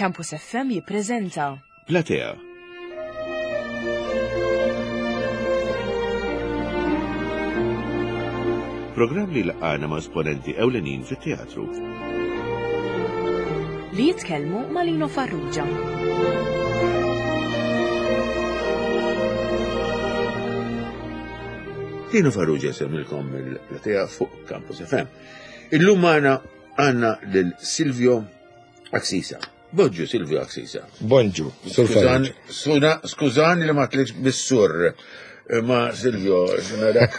Campus FM jippreżenta. Platea. Programm li laqgħana ma' esponenti ewlenin fit-teatru. Li jitkellmu ma' Lino Farrugia. Lino Farrugia semmilkom mill-platea fuq Campus FM. Illum magħna għandna lil Silvio Axisa. Bonġu Silvio Axisa. Bonġu, Sur Skużani li ma tlitx bis-sur. Ma Silvio, narak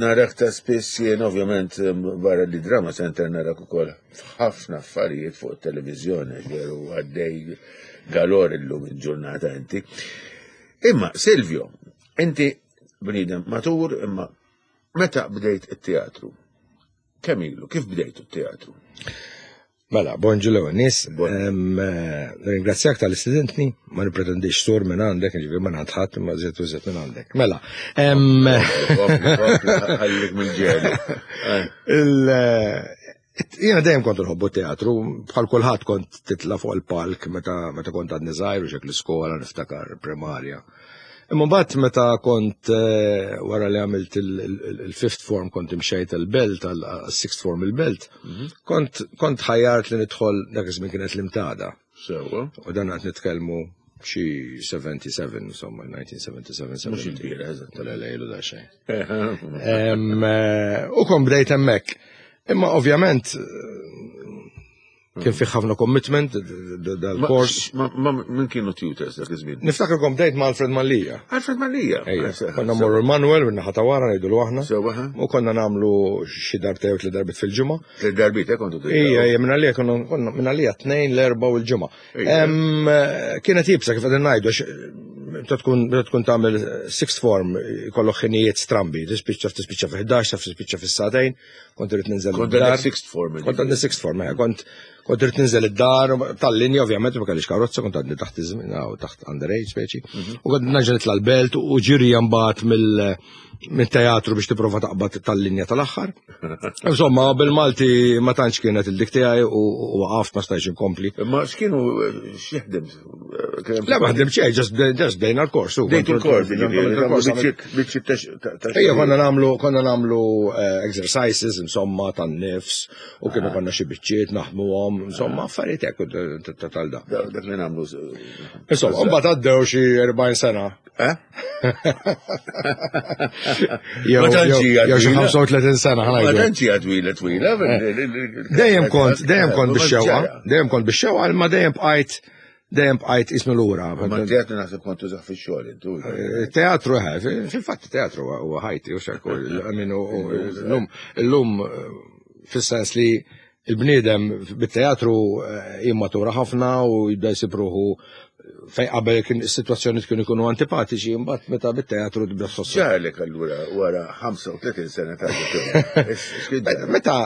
narak ta' spiss jien ovvjament barra li drama center narak ukoll ħafna affarijiet fuq televizjoni veru għaddej galor illum il-ġurnata inti. Imma Silvio, inti bniedem matur imma meta bdejt it-teatru? Kemm ilu, kif bdejtu t-teatru? Mela, bonġu l nies. Eh, ringrazzjak tal-istudentni, ma nipretendix sur minn għandek, ġifieri ma għand ħadd imma żied u żied minn għandek. Mela. Ħallik mill-ġelu. Eh, jiena dejjem kont nħobbu teatru, bħal kulħadd kont titla' fuq il-palk meta kont għadni żgħir u xek l-iskola niftakar primarja. Imma mbagħad meta kont eh, wara li għamilt il-fifth form kont imxejt il-belt għal sixth form il-belt, mhm. kont kont ħajjart li nidħol dak iż-żmien kienet l-imtada. Sewwa. U dan qed nitkellmu xi 77, insomma, 1977. Mhux il-bira, eżatt. Tal-lejlu da xejn. Eh, u kon bdejt hemmhekk. Imma ovvjament Kien fih ħafna commitment dal-kors. Ma minn kienu tutors dak iż-żmien? Niftakar kom bdejt ma' Alfred Mallia. Alfred Mallia. Konna morru l-Manuel minn naħa ta' wara ngħidu aħna. U konna nagħmlu xi darbta jew tliet darbit fil-ġimgħa. Tliet darbit eh, kontu Ija, ija, minn għalija konna minn għalija tnejn l-erba' u l-ġimgħa. Kienet jibsa kif qegħdin ngħidu meta tkun meta tkun tagħmel sixth form jkollok ħinijiet strambi, tispiċċa tispiċċa fi 11, tispiċċa fis-sagħtejn. Kont irrid ninżel Kont għandek sixth form. Kont għandi sixth form, eh, kont kont irrid ninżel id-dar tal-linja ovvjament ma kellix karozza, kont għandi taħt iż-żmien taħt underage speċi. Mhm. U kont naġa nitla' l-belt u ġiri mbagħad mill mit-teatru biex tipprova taqbad tal-linja tal-aħħar. Insomma, bil-Malti ma tantx kienet il-dik tiegħi u waqaft ma stajtx inkompli. Ma x'kienu x'jaħdem Le, ma ħdim xejn, ġast bdejna l-kors. Bdejtu l-kors, Ejja, konna namlu, konna namlu eh, exercises, insomma, tan-nifs, u kienu ah. konna xi biċċiet naħdmuhom, insomma, ah. affarijiet hekk ta' tal-da. Dak li nagħmlu. Insomma, mbagħad għaddew xi 40 sena. Eh? Jew xi 35 sena ħana. Ma tantx hija twila twila. Dejjem kont, dejjem kont bix-xewqa, dejjem kont bix-xewqa, imma dejjem bqajt dejjem bqajt ismu lura. Ma teatru naħseb kont tużaħ fix-xogħol intu. Eh, teatru eh, fil-fatt teatru huwa ħajti u xekku. Illum illum eh, fis-sens li il-bniedem bit-teatru jimmatura ħafna u jibda jsib ruħu fej qabel kien is-sitwazzjoni kienu jkunu antipatiċi, imbagħad meta bit-teatru tibda tħoss. Ġarlek allura wara 35 sena ta' Meta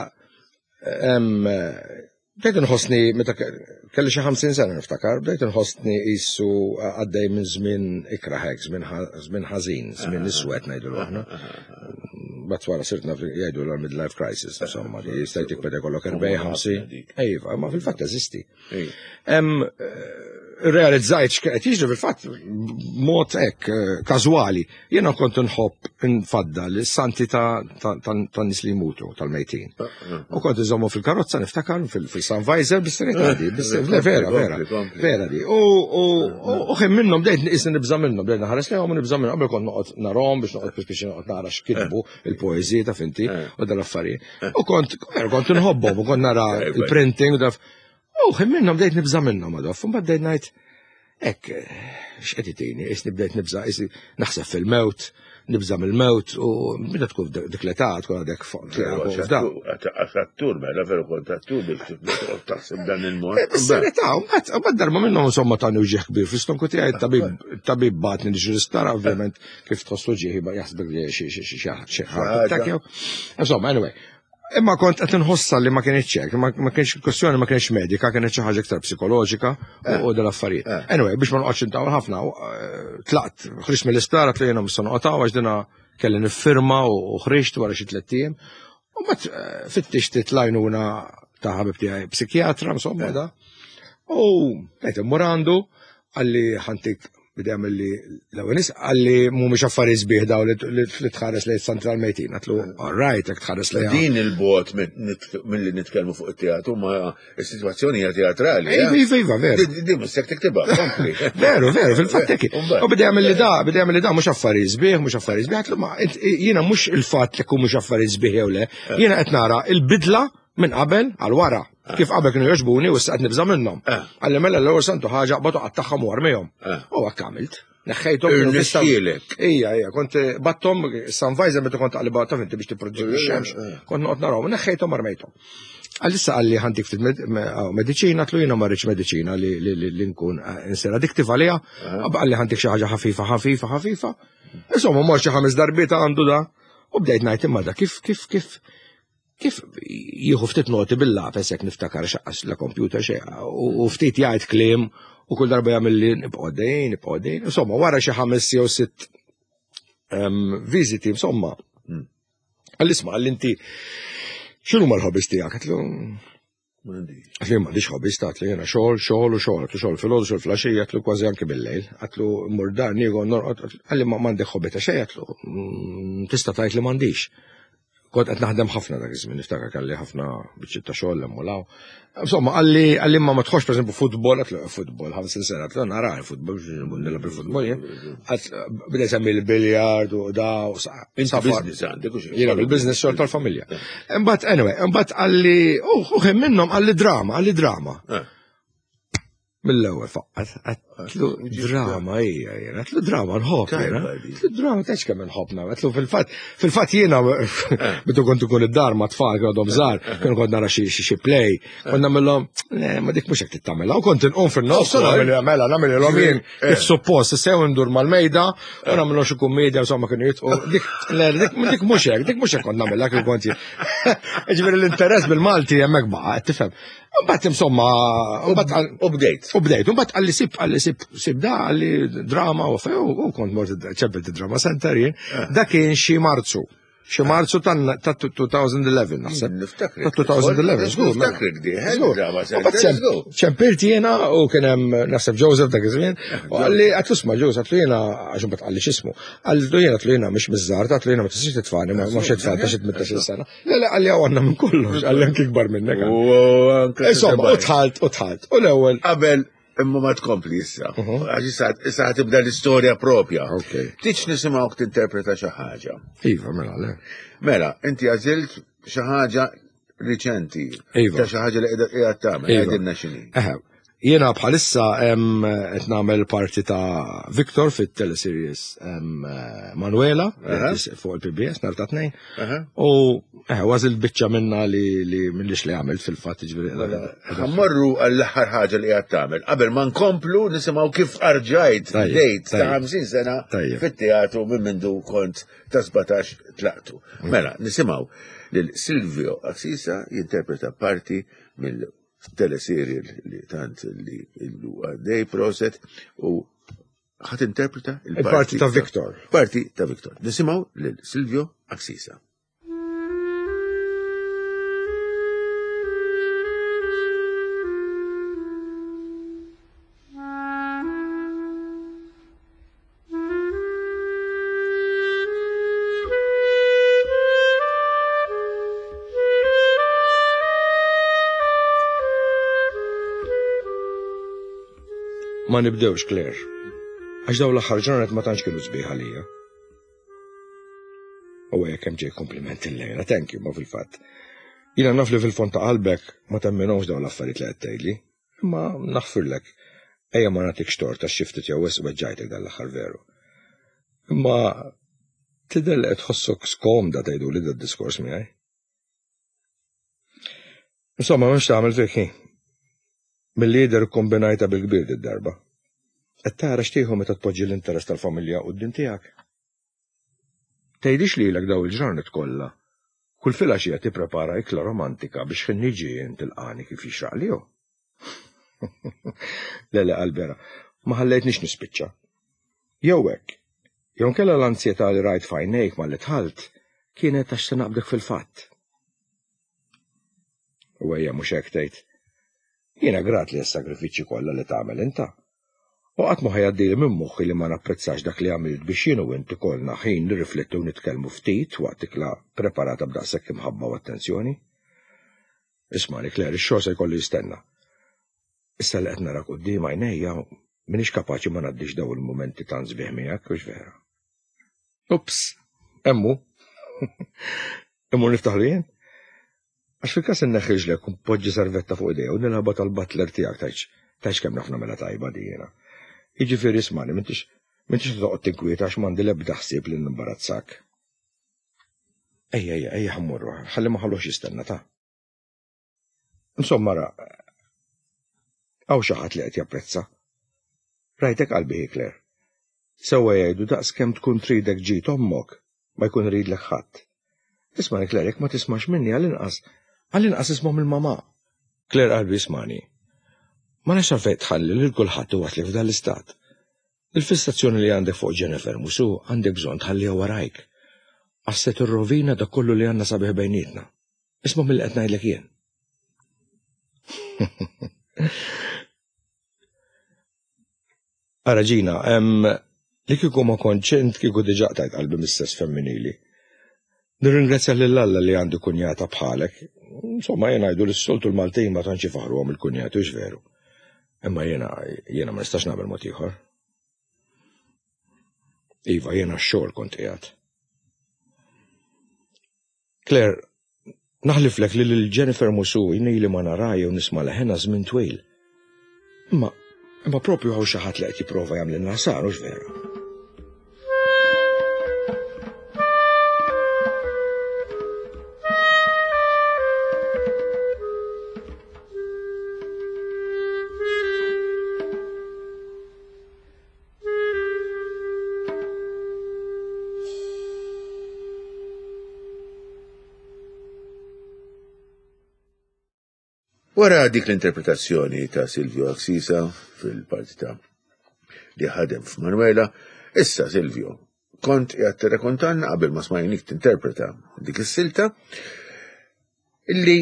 Bdejt inħossni meta kelli xi 50 sena niftakar, bdejt inħossni qisu għaddej minn żmien ikrah hekk, żmien ħażin, żmien ah. iswed ngħidu aħna. Bat wara sirt naf jgħidu l midlife crisis, insomma, li jista' jtik meta jkollok 40 50. Iva, ma fil-fatt eżisti. Realizzajt x'qed jiġri fil-fatt mod hekk eh, każwali. Jiena kont nħobb nfaddal is-santi ta' nies li jmutu tal-mejtin. U kont iżommu fil-karozza niftakar fil-Sun Visor bis-serjetà di, vera, vera, vera di. U ħin minnhom bdejt isni nibża' minnhom, bdejt naħares lejhom u nibża' minnhom qabel kont noqgħod narhom biex noqgħod biex noqgħod nara x'kitbu il-poeżiji ta' finti u dal-affarijiet. U kont kont inħobbhom u kont nara il-printing u daf. U ħin minnhom bdejt nibża' minnhom għadoff, u mbagħad bdejt ngħid hekk x'qed itini, isni bdejt nibża' isni naħseb fil-mewt, nibża' mill-mewt u meta tkun dik l-età tkun għadek fuq. Għax attur, mela veru kont attur biex taħseb dan il-mod. Eh, Bis-serjetà, u mbagħad darba minnhom insomma tani uġieħ kbir fl-istonku tiegħi tabib bagħatni li l-isptar ovvjament kif tħossu ġieħi jaħsbek li xi xi xi ħaġa. Insomma, anyway, Imma kont qed inħossha li ma kienx hekk, ma kienx kwestjoni ma kienx medika, kienet xi ħaġa iktar psikoloġika eh. u dal affarijiet. Eh. Anyway, biex ma noqgħodx intawal ħafna, eh, tlaqt, ħriġt mill-isptar għat li jiena mista noqgħod għax dina kelli niffirma u ħriġt wara xi tliet ijiem. U mbagħad fittixt titlajnuna ta' ħabib tiegħi psikjatra, insomma da. U qed immur għandu qalli ħantik bidem li l-ewwel nies qalli mhumiex affarijiet sbieħ daw li tħares lejn Santral Mejtin. Għatlu, all right, jekk tħares lejn. Din il-bot milli nitkellmu fuq it-teatru ma s-sitwazzjoni hija teatrali. Iva, iva, iva, veru. Din mhux se tiktibha, kompli. Veru, veru, fil-fatt hekk. U bidej li da, bidej li da mhux affarijiet sbieħ, mhux affarijiet sbieħ, għatlu ma jiena mhux il-fatt li mhux affarijiet sbieħ jew le, jiena qed nara il-bidla minn qabel għal wara. Ah. Kif qabel kienu jogħġbuni u issa qed nibża' minnhom. Ah. Għalli mela l-ewwel santu ħaġa qbad u qattagħhom u armihom. Ah. U hekk għamilt. Neħħejthom. Irnexxielek. Ija, ija, kont battom Sunvisor meta kont taqliba taf inti biex tipproduċi x-xemx, eh, eh. kont noqgħod narahom, neħħejthom armejthom. Għalissa għalli ħantik ftit mediċina, tlu jiena ma rridx mediċina li nkun eh, insir addiktiv għaliha, għalli ħantik xi ħaġa ħafifa, ħafifa, ħafifa. Insomma, mor xi ħames darbiet għandu da. U bdejt ngħid imma da kif kif kif kif jieħu ftit noti bil-lapes jekk niftakar xaqqas la computer xejn u ftit jgħid kliem u kull darba jagħmel li nibqgħu dejn, nibqgħu dejn. Insomma, wara xi ħames jew sitt viżiti, insomma. Għall isma' għall inti x'inhu mal-ħobis tiegħek? Għatlu Għatlu m'għandix hobbies ta' għatlu jiena xogħol, xogħol u xogħol, għatlu xogħol filgħodu, xogħol filgħaxija, għatlu kważi anki bil-lejl, għatlu mmur dar nieħu norqod, għalli ma m'għandek hobby ta' xejn, għatlu tista' tgħid li m'għandix. Kont qed naħdem ħafna dak iż-żmien, niftakar kelli ħafna biċċiet ta' xogħol hemm u law. Insomma, għalli għalli ma ma tħossx pereżempju futbol, għatlu futbol 50 sena, għatlu nara futbol, nilgħab il-futbol jien. Bida jsemmi l-biljard u da u business għandek u Jiena bil-business xogħol tal-familja. Imbagħad anyway, imbagħad għalli u minnhom għalli drama, għalli drama. Eh. Mill-ewwel faqqat, għatlu drama hija jiena, għatlu drama nħobb jiena. Għatlu drama tax kemm nħobb għatlu fil-fatt, fil-fatt jiena bidu kont ikun id-dar ma' tfal kienu għadhom żgħar, kienu kont nara xi play, kont nagħmilhom, ma dik mhux hekk tittamilha, u kont inqum fin-nofs u nagħmel mela nagħmilhom jien kif suppost, sew ndur mal-mejda u nagħmilhom xi kummedja insomma kienu jitqu. Dik dik mhux hekk, dik mhux hekk kont nagħmilha kif kont jien. Ġifieri l-interess bil-Malti hemmhekk baqa' tifhem. Mbagħad insomma, mbagħad u bdejt. U bdejt, mbagħad qalli sib, qalli sib, sib da, qalli drama u u kont mort ċebbet drama center jien. Eh. Da kien xi Marzu. Xi Marzu ta' 2011 naħseb. Niftakar. Ta' 2011, żgur. Mela. Niftakar di, drama center. Ċempilt jiena u kien hemm naħseb Joseph dak iż-żmien. U qalli għatlu sma' Joseph għatlu jiena għax imbagħad qalli x'ismu. Qallu jiena għatlu jiena mhix miż-żgħar, għatlu jiena ma tistax titfani, ma xi tfal ta' xi 18 sena. Le, le, għalli għanna minn kollox, għalli anki kbar minnek. Insomma, u tħalt, u tħalt. U l-ewel. Qabel, imma ma tkompli issa. Mhm. Għax issa issa tibda l-istorja propja. Tiċ nisimgħu tinterpreta xi ħaġa. Iva, mela, le. Mela, inti għażilt xi ħaġa riċenti. Iva. Ta' xi ħaġa li qiegħda tagħmel, Iva. għedilna x'inhi. Jiena bħalissa qed nagħmel parti ta' Victor fit-teleseries Manuela fuq il-PBS nhar ta' tnejn. U għażilt biċċa minna li minnix li għamilt fil-fatt ġifieri. Mela, ħammorru għall-aħħar ħaġa li qed tagħmel. Qabel ma nkomplu nisimgħu kif arġajt bdejt ta' 50 sena fit-teatru minn mindu kont ta' 17 tlaqtu. Mela, nisimgħu lil Silvio Axisa jinterpreta parti mill teleserial li tant li illu għaddej proset u ħat interpreta il-parti ta' Victor. Parti ta' Victor. Nisimaw lil Silvio Axisa. Ma nibdewx, Claire. Għax daw l-aħħar ġranet ma tantx kienu sbieħ għalija. U hekk hemm ġej kompliment illejla, thank you, ma fil-fatt. Jiena naf li fil-fond ta' qalbek ma temminhomx dawn l-affarijiet li qed tgħidli. Imma naħfirlek. Ejja ma nagħtikx tort għax xi ftit jew wisq weġġajtek dan l-aħħar veru. Imma tidher li qed tħossok skomda tgħiduli dad-diskors miegħi. Insomma, m'hemmx tagħmel fik hi. Milli jidher ikkombinajtha bil-kbir did-darba. Qed tara x'tieħu meta tpoġġi l-interess tal-familja quddiem tiegħek. Tgħidix lilek dawn il-ġranet kollha, kull filgħaxija tipprepara ikla romantika biex ħin niġi jien tilqagħni kif jixraqli hu? Le le qalbi ara, ma ħallejtnix nispiċċa. Jew hekk, jew inkella l-anzjetà li rajt f'għajnejk malli dħalt kienet għax se naqbdek fil-fatt. U ejja mhux hekk tgħid. Jiena grat li s-sagrifiċċji kollha li tagħmel inta. U qatt ma ħa jgħaddili minn moħħi li ma napprezzax dak li għamilt biex jien u int ikollna ħin nirriflettu u nitkellmu ftit waqt ikla preparata b'daqshekk imħabba u attenzjoni. Ismagħni, Claire, ix-xogħol se jkollu jistenna. Issa li qed narak quddiem għajnejja, m'iniex kapaċi ma ngħaddix dawn il-mumenti tant sbieħ miegħek, hux vera? Ups, hemm hu. Immur niftaħlu jien? Għax fil-każ inneħħi riġlek u npoġġi servetta fuq idejja u nilgħabha tal-butler tiegħek tgħidx tgħidx kemm naf nagħmilha tajba di jiena. Jiġifieri ismagħni m'intix m'intix toqgħod tinkwieta għax m'għandi l-ebda ħsieb li nimbarazzak. Ejja ejja ejja ħa mmorru ħalli ma ħalluhx jistenna ta. Insomma ra, hawn xi ħadd li qed japprezza. Rajtek qalbi hi Claire. Sewwa jgħidu daqs kemm tkun tridek ġid ommok, ma jkun iridlek ħadd. Ismagħni Claire, jekk ma tismax minni għall-inqas, għall-inqas isma' mill-mamà. Claire qalbi ismagħni. Ma nafx għalfejn tħalli lil kulħadd iwasslek f'dan l-istat. Il-fissazzjoni li għandek fuq Jennifer Musu għandek bżonn tħalliha warajk. Għax se tirrovina dak kollu li għandna sabiħ bejnietna. Isma' milli qed ngħidlek jien. Ara Ġina, li kieku ma kontx int kieku diġà qtajt qalbi mis-sess femminili. Nirringrazzja lil Alla li għandi kunjata bħalek. Insomma, jien ngħidu li s-soltu l-Maltin ma tantx ifaħruhom il-kunjati, hux veru. Imma jiena jiena ma nistax nagħmel mod ieħor. Iva, jiena x-xogħol kont qiegħed. Claire, naħliflek li lil Jennifer Musu ili ma nara jew nisma' leħenha żmien twil. Imma, imma propju hawn xi ħadd li qed jipprova jagħmlilna ħsara, hux vera? Wara dik l-interpretazzjoni ta' Silvio Axisa fil-parti ta' li ħadem f'Manuela, issa Silvio, kont qiegħed tirrakontanna qabel ma smajnik tinterpreta dik is-silta illi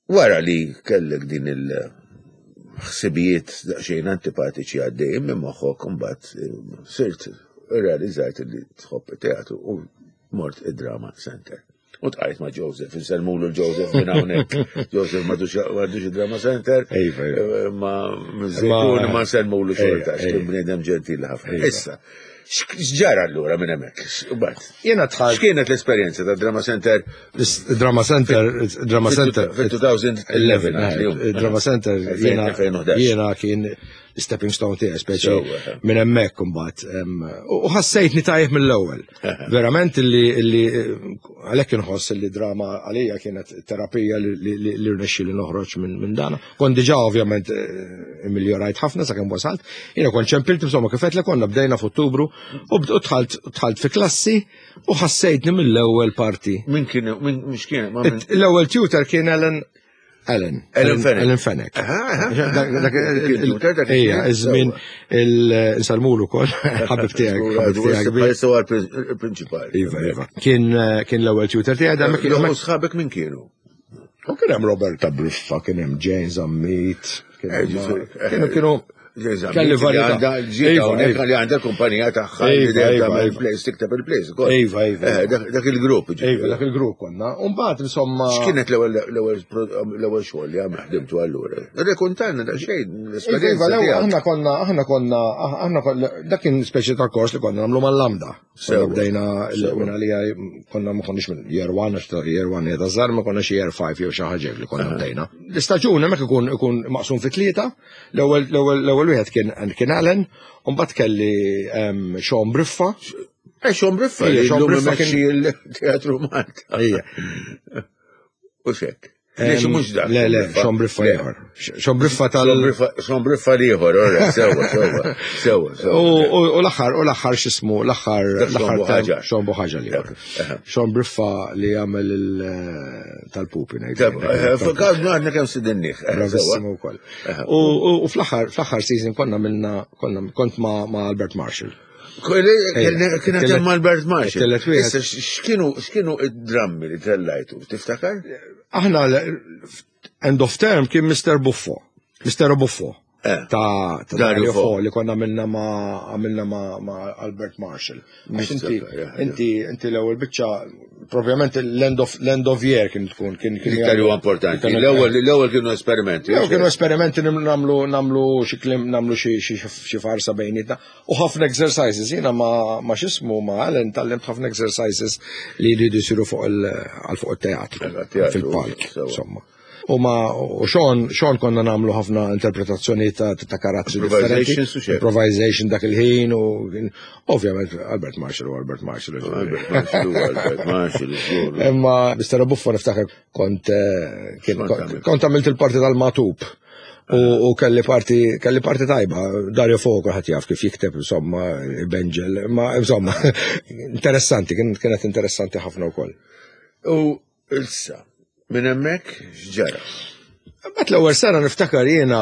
Wara li kellek din il-ħsibijiet daqsxejn antipatiċi għaddejjin minn moħħok imbagħad eh, sirt irrealizzajt li tħobb it-teatru u mort id-drama center. U tqajt ma' Joseph, insellmulu l-Joseph minn hawnhekk. Joseph m'għadux id-drama center. Iva, iva. Eh, ma ma nsellmulu xorta, x'kien bniedem ġentili ħafna. Iva. Issa, X'ġara allura minn hemmhekk? Imbagħad. Jiena dħalt. X'kienet l-esperjenza ta' Drama Center? Drama Center, Drama Center. Fil-2011. Drama Center jiena kien stepping stone tiegħi speċi eh. minn hemmhekk imbagħad. U ħassejtni tajjeb mill-ewwel. Verament li għalhekk inħoss li drama għalija kienet terapija li rnexxi li noħroġ minn dana. Kont diġà ovvjament eh, immilljorajt ħafna sakemm wasalt. Jiena kont ċempilt insomma kif li konna bdejna f'Ottubru u dħalt dħalt fi klassi u ħassejtni mill-ewwel parti. Min kien min mhux kien L-ewwel tutor kien Ellen Ellen. Ellen Fenech. Ellen Fenech. Ejja, iż-żmien il-salmulu kol, ħabib tiegħek, ħabib tiegħek. il-prinċipali. Iva, iva. Kien eh, kien l-ewwel tutor tiegħek, da Sħabek min kienu? U kien hemm Roberta Briffa, kien hemm Jane Zammit, kien hemm eh, kienu kienu kelli varjetà. Iva, iva. Li għandha kumpanija tagħha li iva, iva, iva. place tikteb il-place ukoll. Iva, iva. Eh, dak il-grupp. Iva, dak il-grupp konna. U mbagħad insomma. X'kienet l-ewwel xogħol li għamil ħdimtu allura? Rekontanna da xejn l-esperjenza. Iva, aħna konna aħna konna aħna dak kien speċi ta' kors li konna nagħmlu mal-lambda. Sew bdejna l-għuna li konna ma konniex minn year 1, għax year 1 jeda żgħar ma konniex year 5 jew xi ħaġa li konna bdejna. L-istaġun hemmhekk ikun ikun maqsum fi tlieta, l-ewwel wieħed kien kien Allen, u mbagħad kelli Sean Briffa. Eh, Sean Briffa, Sean Briffa kien il-Teatru Malta. Ejja. U xek. Lex mhux dak. Le, le, Sean Briffa ieħor. Sean Briffa tal. Sean Briffa ieħor, ora, sewa, sewa, sewa. U l-aħħar, u l-aħħar x'ismu, l-aħħar, l-aħħar Sean Buħaġa li Sean Briffa li jagħmel eh, tal-pupi ngħid. Eh, Fakar għandna kemm sidinnih. Eh, Bravissimo wkoll. U fl-aħħar, fl-aħħar season konna minna, konna kont ma' Albert Marshall. Kien hemm Albert Marshall. Issa x'kienu x'kienu id-drammi li tellajtu, tiftakar? Aħna end of term kien Mr. Buffo. Mistero Buffo. Eh. Ta' ta' Dario Dario Fo. Fo li konna għamilna ma' għamilna ma' ma' Albert Marshall. Għax inti inti inti l-ewwel biċċa propjament l-end of l-end of year kien tkun kien kien L-iktar huwa importanti. L-ewwel l-ewwel kienu esperimenti. Jew kienu esperimenti nagħmlu nagħmlu xi kliem nagħmlu xi xi xi farsa bejnietna u ħafna exercises jiena ma ma x'ismu ma Alan tgħallimt ħafna exercises li jridu jsiru fuq il għal fuq it-teatru Għal-teatru, fil-palk sewa. insomma. U ma u Sean Sean konna nagħmlu ħafna interpretazzjoni ta' ta' karattri differenti. Improvisations u xejn. Improvisation dak il-ħin u kien- ovvjament Albert Marshall u Albert Marshall. Albert Marshall, u Albert Marshall, żgur. Imma Mr. Buffo niftakar kont eh, kien- Kont kont għamilt. kont għamilt il-parti tal-matub. U, u kelli parti kelli parti tajba, Dario Fo kulħadd jaf kif jikteb insomma Benġel, ma insomma interessanti, kien- kienet interessanti ħafna wkoll. U issa, minn hemmhekk x'ġara? Mbagħad l-ewwel sena niftakar jiena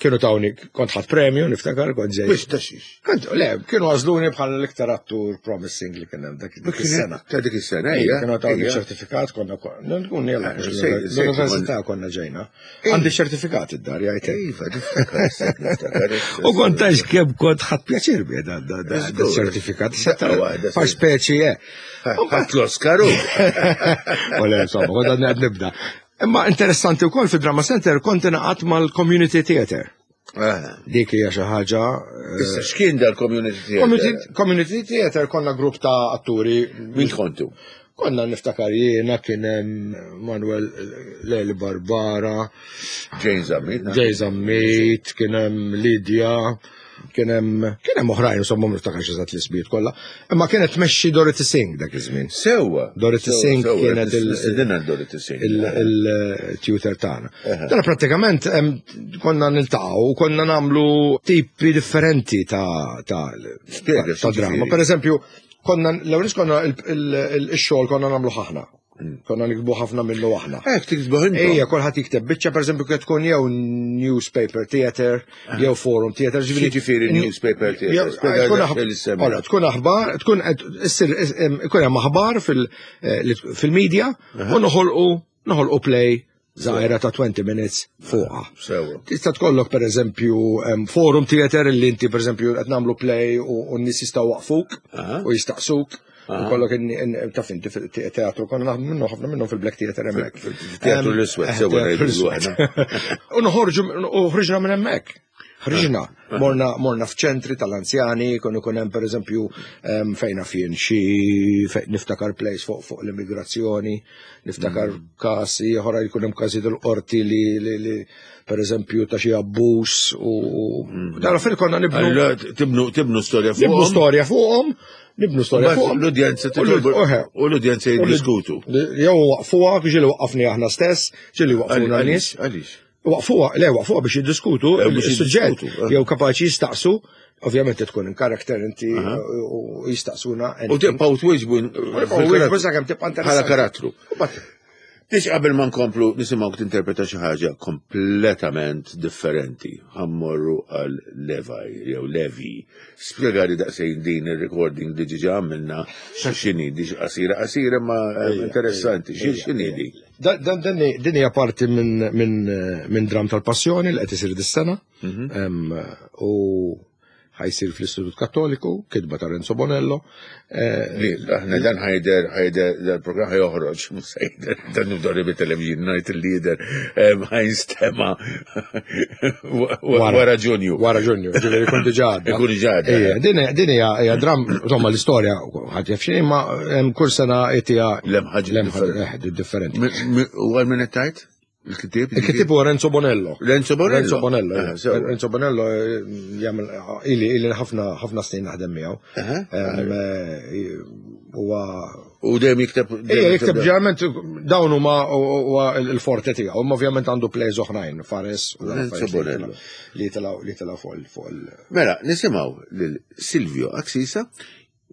kienu tawni kont ħadd premju niftakar kont ġej. Biex ta' xiex. Kont le, kienu għażluni bħala l-iktar attur promising li kien hemm dak dik is-sena. Ta' dik is-sena, Ejja, ejja. kienu tawni ejja. ċertifikat, konna nkun jella, Ah, sejt- sejt l-università konna ġejna. Għandi ċertifikat id-dar, jgħajtek. Iva, niftakar, issa, niftakar. issa. U kont għax kemm kont ħadd pjaċir bi da da da Żgur. ċertifikat. Daqqa waħda, Par sejt. speċi, eh. Ħadd l-Oscar u. U le, insomma, kont għadni għad nibda. Imma interessanti wkoll fi Drama Center kont ingħaqadt mal-Community Theater. Ah. Dik hija xi ħaġa. Issa x'kien dal-community theater? Community Theater konna grupp ta' atturi. Min kontu? Konna niftakar jiena kien hemm Manuel Leli Barbara, Jane Zammit. Jay Zammit, kien hemm Lydia, kien hemm kien hemm oħrajn insomma ma niftakarx eżatt l-ismijiet kollha. Imma kienet tmexxi Dorothy Singh dak iż-żmien. Sewwa. Dorothy Sewwa, Singh sewwa, kienet il- Dinna Dorothy Singh. il-tutor tagħna. Dana prattikament em, konna niltaqgħu u konna nagħmlu tipi differenti ta' ta' Spjega, ta' drama. x'jiġifieri? Per eżempju, konna l-ewwel konna il-xogħol konna nagħmlu ħafna. Konna nikbu ħafna minnu aħna. Ek, tiktbuh intom. Ejja, kulħadd jikteb biċċa pereżempju kien tkun jew newspaper theater, jew forum theater, X'jiġifieri newspaper theater? Jew- Spjega tkun daqsxejn li semmi. Ora, tkun aħbar, tkun qed issir ikun hemm aħbar fil- fil-media u noħolqu noħolqu play żgħira ta' 20 minutes fuqha. Sewwa. Tista' tkollok pereżempju forum theater li inti pereżempju qed nagħmlu play u n-nies jistgħu waqfuk u jistaqsuk. U kollok taf inti fil-teatru konna naħdmu minnu ħafna minnhom fil-Black Theater hemmhekk. Teatru l-Iswed, sewwa Teatru ngħidu l-Iswed. U noħorġu u ħriġna minn hemmhekk. Ħriġna, morna, morna f'ċentri tal-anzjani, konu kun hemm pereżempju fejna fien xi fejn niftakar place fuq fuq l-immigrazzjoni, niftakar kasi oħra jkun hemm każi tal-qorti li, li, li pereżempju ta' xi abbuż u dara fil konna nibnu Allora, tibnu tibnu storja nibnu fuqhom. storja fuqhom, nibnu storja Mbagħad fuqhom. L-udjenza U l- titolbu- oħe. u l-udjenza jiddiskutu. Jew waqfuha, ġieli waqqafni aħna stess, ġieli waqfuna nies. Għaliex? Waqfuha, le waqfuha biex jiddiskutu Eh, biex il-suġġett, jiddiskutu, eh. jew kapaċi jistaqsu, ovvjament tkun in karakter inti u jistaqsuna. U tibqgħu twieġbu U wieġbu sakemm tibqa' bħala interessanti. karattru. U bat- Tix qabel ma nkomplu nisimgħu tinterpreta xi ħaġa kompletament differenti. Ħammorru għal Levi jew Levi. Spjegali daqsxejn din ir-recording li ġiġa għamilna x'inhi di qasira qasira ma interessanti. X'inhi di? Din hija parti minn min, min dram tal-passjoni li qed isir dis-sena. U ħajsir fl-Istitut Kattoliku, kitba ta' Renzo Bonello. Li, aħna dan ħajder, ħajder, dal-program ħajoħroġ, mhux se jidher, dan nibdorri bit-television, ngħid il-lider, ħajnstema wara Ġunju. Wara Ġunju, ġifieri jkun diġà għadda. Ikun diġà għadda. Ejja, din hija dram, insomma l-istorja ħadd jaf x'inhi, ma kull sena hija Lem ħaġa lemħa differenti. differenti. U għal minn qed tgħid? Il-kittieb? Il-kittieb huwa Renzo Bonello. Renzo Bonello. Renzo Bonello. Ah, eh. sewa. Renzo Bonello jagħmel ili ili ħafna ħafna snin naħdem miegħu. Aha. Huwa U dejjem jikteb. Ejja, jikteb ġeneralment dawn huma huwa il-forte tiegħu, imma ovvjament għandu plays oħrajn, Fares u dawn Renzo affarijiet li Bonello. tilgħu- li tilgħu fuq il- fuq il Mela, nisimgħu lil Silvio Axisa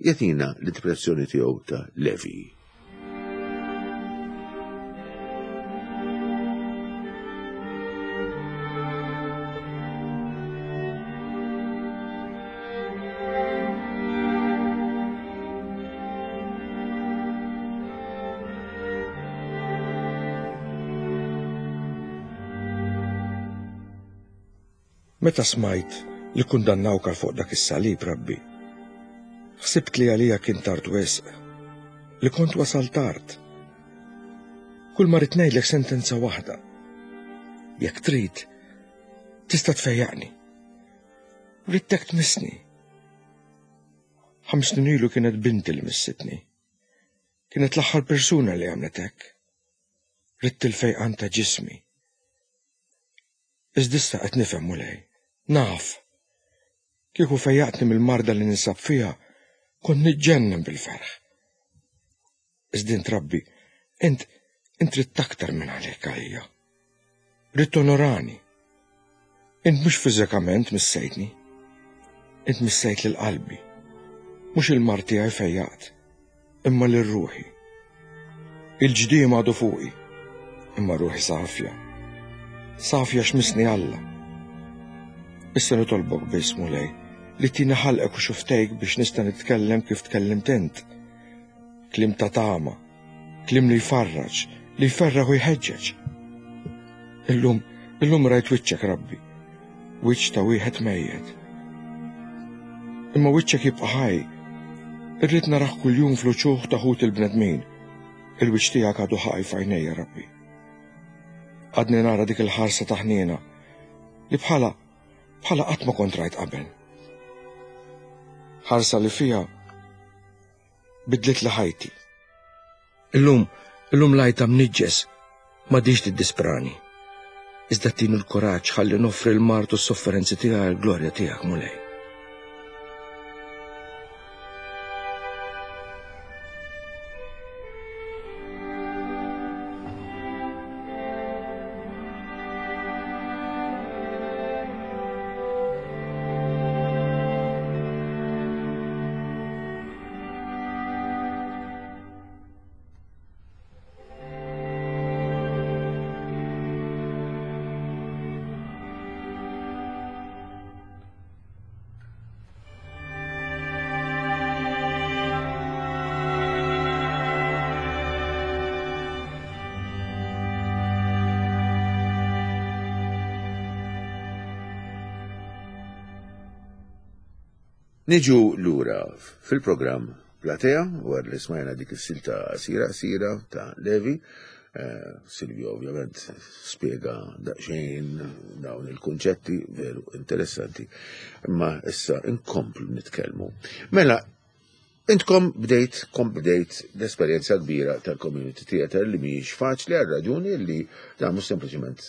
jagħtina l-interpretazzjoni tiegħu ta' Levi. Meta smajt li kundannawk għal fuq dak is-salib, Rabbi, ħsibt li għalija kien tard wisq, li kont wasal tard. Kull ma rrid ngħidlek sentenza waħda. Jekk trid, tista' tfejjaqni. Ridtek tmissni. Ħams snin ilu kienet binti li missitni. Kienet l-aħħar persuna li għamlet hekk. Ridt il-fejqan ta' ġismi. Iżda issa qed nifhem, Mulej. Naf. Kieku fejjaqtni mill-marda li ninsab fiha, kont niġġennen bil-ferħ. Iżda int Rabbi, int int ridt aktar minn għalek għalija. Ridt tonorani. Int mhux fiżikament missejtni. Int missejt lil qalbi. Mhux il-mard tiegħi fejjaqt, imma lil ruħi. Il-ġdiem għadu fuqi, imma ruħi safja. Safja x'missni Alla. Issa nitolbok biss, Mulej, li tini ħalqek u xuftejk biex nista' nitkellem kif tkellimt int. Kliem ta' tama, kliem li jfarraġ, li jferraħ u jħeġġeġ. Illum, illum rajt wiċċek Rabbi, wiċċ ta' wieħed mejjet. Imma wiċċek jibqa' ħaj. Irrid narah kuljum fl-uċuħ ta' ħut il-bnedmin. Il-wiċċ tiegħek għadu ħaj f'għajnejja Rabbi. Għadni nara dik il-ħarsa ta' ħniena li bħala bħala qatt ma kont rajt qabel. Ħarsa li fiha bidlitli ħajti. Illum, illum l-għajta mniġġes m'għadhiex tiddisprani. Iżda tini l-kuraġġ ħalli noffri l-mard u s-sofferenzi tiegħi għall-glorja tiegħek, Mulej. Niġu lura fil-programm Platea, wara li smajna dik is-silta qasira qasira ta' Levi. Eh, Silvio ovvjament spiega daqsxejn dawn il-kunċetti veru interessanti, imma issa inkomplu nitkellmu. Mela, intkom bdejt, kom bdejt l-esperjenza kbira tal-community theater li mhijiex faċli għal raġuni li dan mhux sempliċement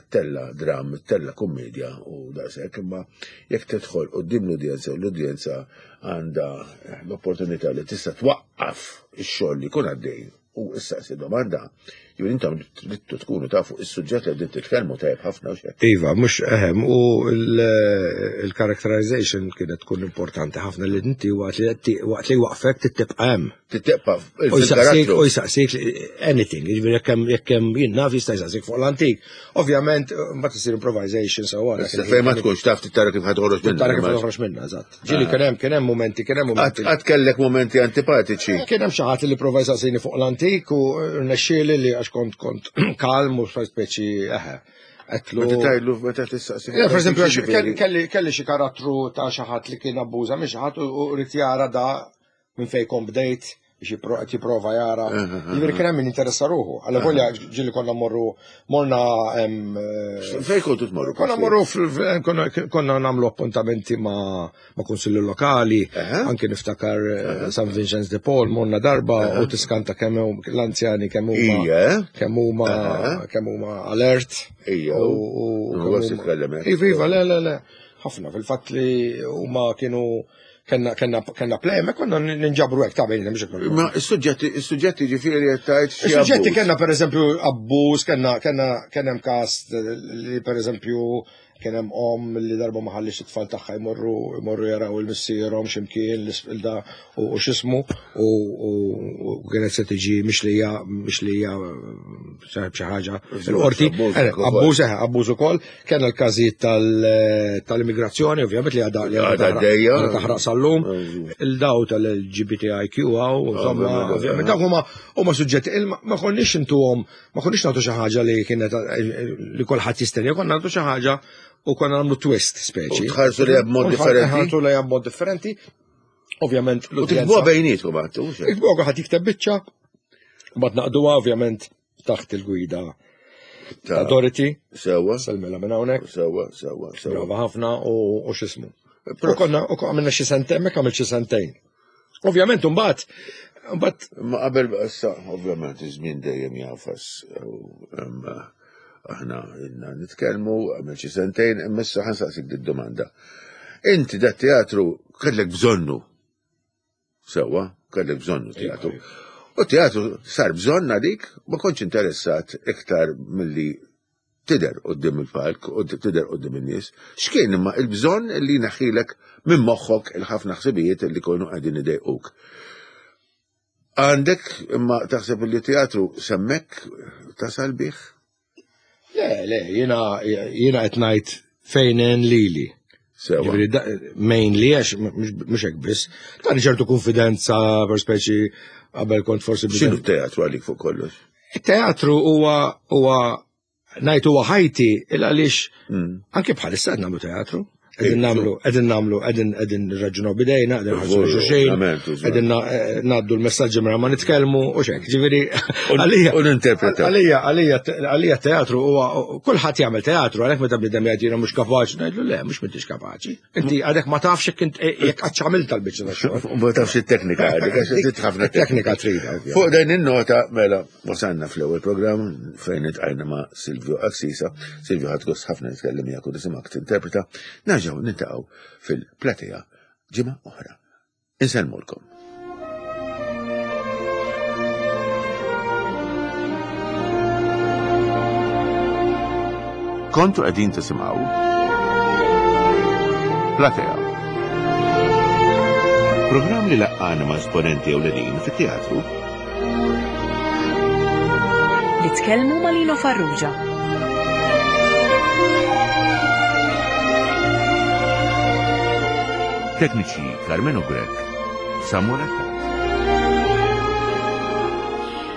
tella dram, tella kummedja u daqshekk, imma jekk tidħol quddiem l-udjenza u l-udjenza għandha l-opportunità li tista' twaqqaf ix-xogħol li jkun għaddej u issaqsi domanda, jew intom tridtu tkunu tafu is-suġġett li qegħdin titkellmu tajjeb ħafna u xejn. Iva, mhux ehem, u l-characterization kienet tkun importanti ħafna li inti waqt li waqfek tibqa' hemm. Titteqpa U jsaqsik, u jsaqsik anything, jiġifieri jekk hemm jekk hemm jien naf jista' jsaqsik fuq l-antik. Ovvjament, mbagħad isir improvisation so wara. Fejn ma tkunx taf tara kif ħa toħroġ minnha. Tara kif toħroġ minnha, eżatt. Ġieli kien hemm kien hemm mumenti, kien hemm mumenti. Qatt kellek mumenti antipatiċi. Kien hemm xi ħadd li prova jsaqsini fuq l-antik u rnexxieli li għax kont kont kalm u speċi eħe. Għetlu. Meta tgħidlu meta tistaqsi. Per eżempju, kelli xi karattru ta' xi ħadd li kien abbuża minn xi ħadd u rrid jara da minn fejn kont bdejt biex qed jipprova jara. Jiġifieri kien hemm min interessa ruħu. Alla volja ġieli konna morru morna Fejn kontu tmorru? Konna morru konna nagħmlu appuntamenti ma' kunsilli lokali, anke niftakar eh, San Vincenz de Paul morna darba u tiskanta kemm l-anzjani kemm huma kemm huma kemm huma alert. Ija. U Iva, iva, le, le, le. Ħafna fil-fatt li huma kienu Kenna, kenna, kenna play, ma konna ninġabru hekk ta' bejn mhux hekk. Ma s-suġġetti, s-suġġetti ġifieri qed tgħid xi. Suġġetti kenna pereżempju abbuż, kenna kenna kien hemm każ li pereżempju kien hemm om li darba ma ħallix it-tfal tagħha jmorru jmorru jaraw il-missierhom x'imkien l-da u x'ismu u kienet se tiġi mixlija mixlija xi ħaġa. Il-qorti, abbuż eh, abbuż ukoll. Kellna l-każijiet tal-immigrazzjoni, ovvjament li għadha li għadha taħraq sal-lum, il-daw tal-LGBTIQ għaw, insomma, ovvjament dawk huma huma suġġetti ma konniex intuhom, ma konniex nagħtu xi ħaġa li kienet li kulħadd jistenja, konna nagħtu xi ħaġa. U konna nagħmlu twist speċi. U tħarsu lejha b'mod differenti. Ħarsu lejha b'mod differenti. Ovvjament U tiktbuha bejnietkom għattu. Iktbuha kulħadd jikteb biċċa. Mbagħad naqduha ovvjament taħt il-gwida ta' Dorothy. Sewa. Selmela minn hawnhekk. Sewa, sewa, sewa. Brava ħafna u x'ismu. U konna u għamilna xi sentejn, hemmhekk għamilt xi sentejn. Ovvjament imbagħad Mbagħad ma qabel issa ovvjament iż-żmien dejjem jafas aħna ilna nitkellmu għamil xi sentejn imma issa ħansaqsik did-domanda. Inti dat teatru kellek bżonnu. Sewwa, kellek bżonnu teatru. U teatru sar bżonn għalik ma kontx interessat iktar milli tidher quddiem il-palk u tidher quddiem in-nies. X'kien imma il-bżonn li jneħħilek minn moħħok il-ħafna ħsibijiet li konu qegħdin idejquk? Għandek imma taħseb li teatru semmek tasal bih? Le, le, jiena jiena qed ngħid fejn hemm lili. Sewa. Mainly għax mhux hekk biss. Tani ċertu konfidenza per speċi qabel kont forsi X'inhu teatru għalik fuq kollox? Il-teatru huwa huwa ngħid huwa ħajti il għaliex mm. anke bħalissa qed nagħmlu teatru. Qegħdin nagħmlu, qegħdin nagħmlu, qegħdin qegħdin nirraġunaw bidejna, qegħdin nħarsu xulxin, qegħdin eh, ngħaddu l-messaġġi mara ma nitkellmu u xek. Ġifieri għalija. U ninterpretaw. Għalija, għalija, għalija teatru huwa kulħadd jagħmel teatru għalhekk meta bniedem jgħid jiena mhux kapaċi, ngħidlu le, mhux m'intix kapaċi. Inti għadek ma tafx jekk eh, jekk qatt għamilt tal-biċċa ta' xogħol. Ma tafx it-teknika għadek, għax trid ħafna teknika trid. Fuq din in-nota mela wasalna fl-ewwel programm fejn itqajna ma' Silvio Axisa. Silvio ħadd gost ħafna nitkellem miegħek u nisimgħek tinterpreta. Nerġgħu nintaqgħu fil-platea ġimgħa oħra. Insellmulkom. Kontu qegħdin tisimgħu Platea. Programm li laqqana ma' esponenti ewlenin fit-teatru. Li tkellmu ma' Lino Farrugia. Tekniċi Carmenu Grech, Samuel Attard.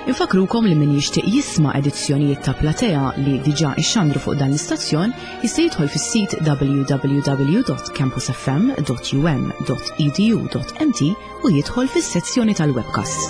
Infakrukom li min jixtieq jisma' edizzjonijiet ta' Platea li diġà ixxandru fuq dan l-istazzjon jista' jidħol fis-sit www.campusfm.um.edu.mt u jidħol fis-sezzjoni tal-webcasts.